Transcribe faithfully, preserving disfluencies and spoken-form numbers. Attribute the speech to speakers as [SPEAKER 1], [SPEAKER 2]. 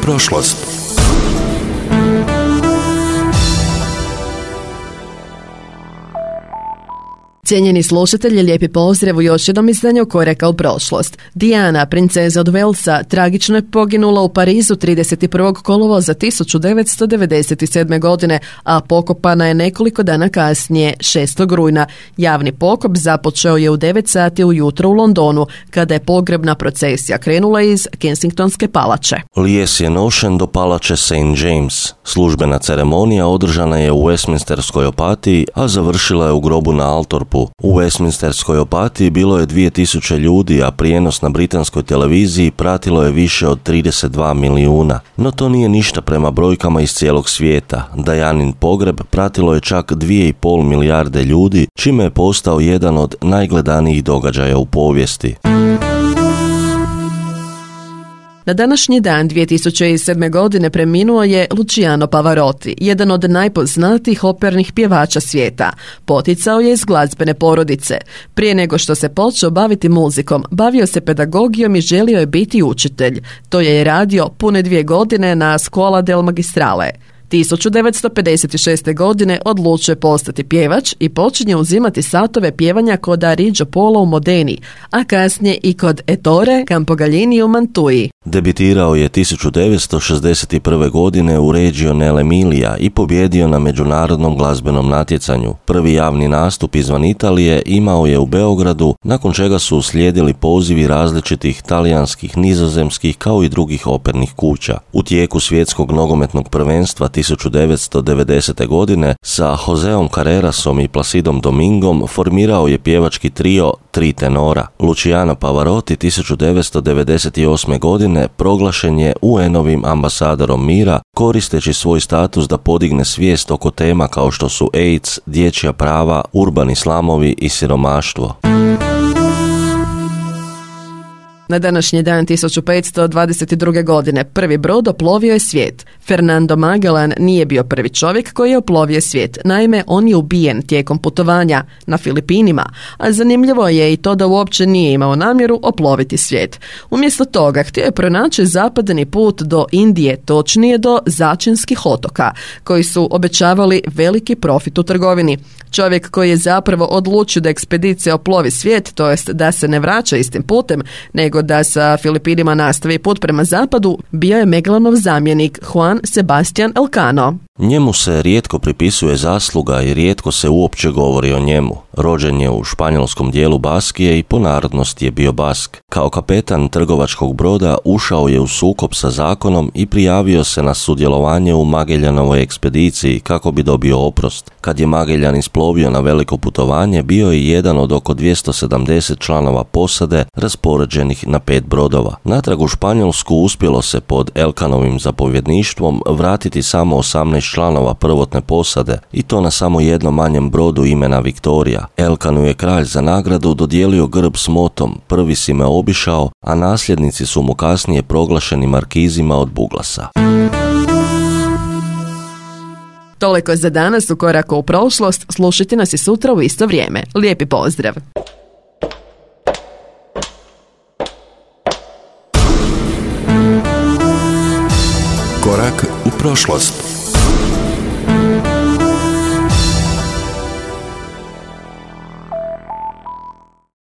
[SPEAKER 1] prošlost.
[SPEAKER 2] Cijenjeni slušatelji, lijepi pozdrav u još jednom izdanju Koraka u prošlost. Diana, princeza od Walesa, tragično je poginula u Parizu trideset prvog kolovoza tisuću devetsto devedeset sedme. godine, a pokopana je nekoliko dana kasnije, šestog rujna. Javni pokop započeo je u devet sati ujutro u Londonu, kada je pogrebna procesija krenula iz Kensingtonske palače.
[SPEAKER 3] Lijes je nošen do palače Saint James. Službena ceremonija održana je u Westminsterskoj opatiji, a završila je u grobu na Altorpu. U Westminsterskoj opatiji bilo je dvije tisuće ljudi, a prijenos na britanskoj televiziji pratilo je više od trideset dva milijuna. No to nije ništa prema brojkama iz cijelog svijeta. Dianin pogreb pratilo je čak dvije i pol milijarde ljudi, čime je postao jedan od najgledanijih događaja u povijesti.
[SPEAKER 2] Na današnji dan dvije tisuće sedme. godine preminuo je Luciano Pavarotti, jedan od najpoznatijih opernih pjevača svijeta. Poticao je iz glazbene porodice. Prije nego što se počeo baviti muzikom, bavio se pedagogijom i želio je biti učitelj. To je radio pune dvije godine na Scuola del Magistrale. tisuću devetsto pedeset šeste. godine odlučuje postati pjevač i počinje uzimati satove pjevanja kod Arigio Polo u Modeni, a kasnije i kod Ettore Campogalini u Mantui.
[SPEAKER 3] Debitirao je tisuću devetsto šezdeset prve. godine u Reggio nell'Emilia i pobjedio na međunarodnom glazbenom natjecanju. Prvi javni nastup izvan Italije imao je u Beogradu, nakon čega su uslijedili pozivi različitih talijanskih, nizozemskih kao i drugih opernih kuća. U tijeku svjetskog nogometnog prvenstva tisuću devetsto devedesete. godine sa Joseom Carrerasom i Placidom Domingom formirao je pjevački trio Tri tenora. Luciano Pavarotti tisuću devetsto devedeset osme. godine proglašen je U N-ovim ambasadorom mira, koristeći svoj status da podigne svijest oko tema kao što su AIDS, dječja prava, urbani slamovi i siromaštvo.
[SPEAKER 2] Na današnji dan tisuću petsto dvadeset druge. godine prvi brod oplovio je svijet. Fernando Magellan nije bio prvi čovjek koji je oplovio svijet. Naime, on je ubijen tijekom putovanja na Filipinima, a zanimljivo je i to da uopće nije imao namjeru oploviti svijet. Umjesto toga htio je pronaći zapadni put do Indije, točnije do Začinskih otoka, koji su obećavali veliki profit u trgovini. Čovjek koji je zapravo odlučio da ekspedicija oplovi svijet, to jest da se ne vraća istim putem, nego da sa Filipinima nastavi put prema zapadu, bio je Magellanov zamjenik Juan Sebastian Elcano.
[SPEAKER 3] Njemu se rijetko pripisuje zasluga i rijetko se uopće govori o njemu. Rođen je u španjolskom dijelu Baskije i po narodnosti je bio Bask. Kao kapetan trgovačkog broda ušao je u sukob sa zakonom i prijavio se na sudjelovanje u Magellanovoj ekspediciji kako bi dobio oprost. Kad je Magellan isplovio na veliko putovanje, bio je jedan od oko dvjesto sedamdeset članova posade raspoređenih na pet brodova. Natrag u Španjolsku uspjelo se pod Elcanovim zapovjedništvom vratiti samo osamnaest članova prvotne posade, i to na samo jednom manjem brodu imena Viktorija. Elcanu je kralj za nagradu dodijelio grb s motom "Prvi si me obišao", a nasljednici su mu kasnije proglašeni markizima od Buglasa.
[SPEAKER 2] Toliko za danas u Koraku u prošlost. Slušajte nas i sutra u isto vrijeme. Lijepi pozdrav!
[SPEAKER 1] Korak u prošlost.